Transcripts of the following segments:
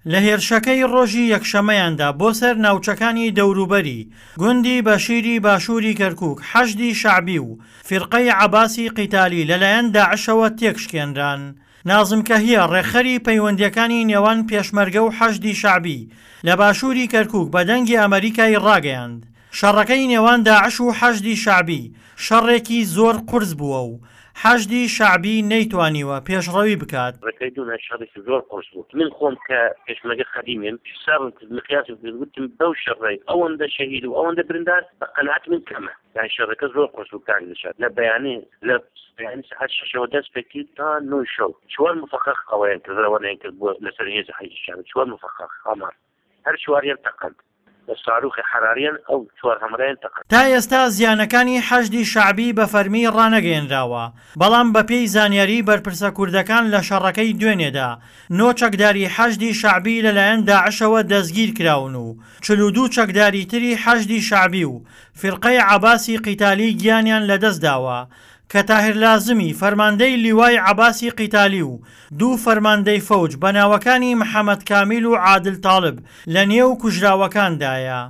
لە هێرشەکەی ڕۆژی یەکشەمەیاندا بۆ سەر ناوچەکانی دەوروبەری گوندی بەشیری باشووری کەرکووک حەشدی شەعبی و فیرقەی عەباسی قیتالی لەلایەن داعشەوە تێکشکێنران. نازم کەهیە، ڕێکخەری پەیوەندییەکانی نێوان پێشمەرگە و حەشدی شەعبی لە باشووری کەرکووک بە دەنگی ئەمەریکای ڕاگەیاند، شەڕەکەی نێوان داعش و حەشدی شەعبی شەڕێکی زۆر قورس بووە و حەشدی شەعبی نەیتوانیوە پێشڕەوی بکات. ڕێکەی دوونە شەڕێکی زۆر قورس بوو. من خۆم کە پێشمەرگە قەدیمیم حسابم کرد، مقیاسم کرد، وتم بەو شەڕەی ئەوەندە شەهید و ئەوەندە بریندار بە قەناعەتی من کەمە. یانی شەڕەکە زۆر قورس بوو کاک دلشاد. لە بەیانی لە بەیانی سەعات شەشەوە دەست پێ کرد تا نۆی شەو. چوار مفەخەخ ئەوەیان کرد، ڕەوانەیان کرد بۆ لەسەر هێزی حەشدی شەعبی. چوار مفەخەخ هەمار. هەر چواریان تەقاند. بە ساروخی حەراریان ئەو چوار هەمرەیان تەقاند. تا ئێستا زیانەکانی حەشدی شەعبی بە فەرمی ڕانەگەیەنراوە، بەڵام بەپێی زانیاریی بەرپرسە کوردەکان لە شەڕەکەی دوێنێدا نۆ چەکداری حەشدی شەعبی لەلایەن داعشەوە دەستگیرکراون و 42 چەکداری تری حەشدی شەعبی و فیرقەی عەباسی قیتالی گیانیان لەدەستداوە کە تاهیر لازمی فەرماندەی لیوای عەباسی قیتالی و دوو فەرماندەی فەوج بە ناوەکانی محەمەد کامیل و عادل تاڵب لە نێو کوژراوەکاندایە.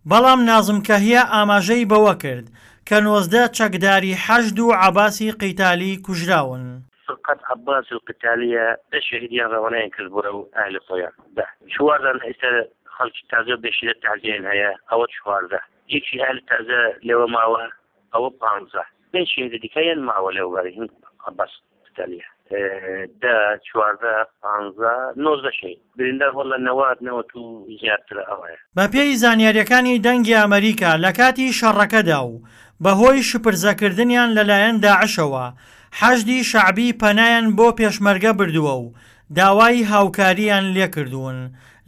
بەڵام نازم کەهیە ئاماژەی بەوە کرد کە 19 چەکداری حەشد و عەباسی قیتالی کوژراون. فرقەت عەباس القتالیە دە شەهیدیان ڕەوانەیان کرد بۆ ئەهلی خۆیان دە چواردان ئێستا خەڵکی تازە بێشیرە تازیان هەیە ئەوە 14 یەکی ئەهلی تازە لەوە ماوە ئەوە پانزە پێنج شەهیدە دیکەیان ماوە لەو بەری هین عەباس قتالیە دە 14 پانزە 19 شەهید بریندار وەڵا نەوات نەوەت و زیاترە ئەوەیە. بەپێی زانیاریەکانی دەنگی ئەمەریکا لەکاتی شەڕەکەدا و بەهۆی شپرزەکردنیان لەلایەن داعشەوە حەشدی شەعبی پەنایان بۆ پێشمەرگە بردووە و داوای هاوکارییان لێکردوون،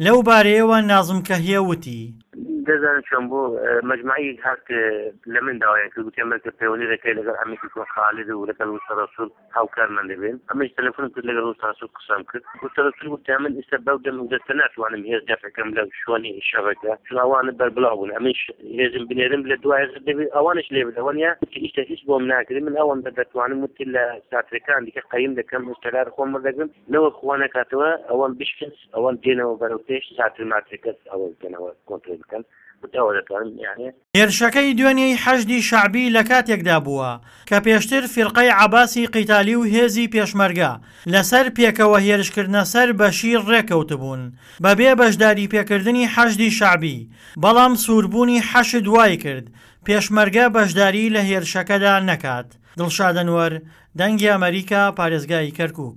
لەو بارەیەوە نازم کەهیە وتی. دەزانن چۆن بوو، مەجمەعی هات لە من داوایان کرد، گوتیان بەرکە پەیوەندی دەکەی لەگەڵ عەمیدی کۆن خالد و لەگەڵ وستە ڕەسوڵ هاوکارمان دەبێن. ئەمنیش تەلەفۆنم کرد لەگەڵ وستە ڕەسوڵ قسەم کرد. وستە ڕەسوڵ گوتیان من ئیستا بەو دەم و دەستە ناتوانم هێز دەفع کەم لە شوێنی شەڕەکە، چون ئەوان بەربڵاو بوون، ئەمنیش هێزم بنێرم لە دوا هێز دەبێ ئەوانیش لێ بدەن وەنیە؟ وتی ئیستا هیچ بۆم ناکرێ، من ئەوەندە دەتوانم، وتی لە ساترەکان دیکە قەیم دەکەم، ئیستقرار خۆم وەردەگرم. نەوەک خوا نەکاتەوە ئەوان بشکن ئەوان دێنەوە بەرەو پێش ساتر ماترەکەس ئەوە بکەنەوە کۆنترۆل بکەن وتی ئەوە دەتوانم یانێ. هێرشەکەی دوێنێی حەشدی شەعبی لە کاتێکدا بووە کە پێشتر فیرقەی عەباسی قیتالی و هێزی پێشمەرگە لەسەر پێکەوە هێرشکردنە سەر بەشیر ڕێککەوتبوون بەبێ بەشداریپێکردنی حەشدی شەعبی، بەڵام سووربوونی حەشد وایکرد پێشمەرگە بەشداری لە هێرشەکەدا نەکات. دڵشاد ئەنوەر، دەنگی ئەمەریکا، پارێزگای کەرکوک.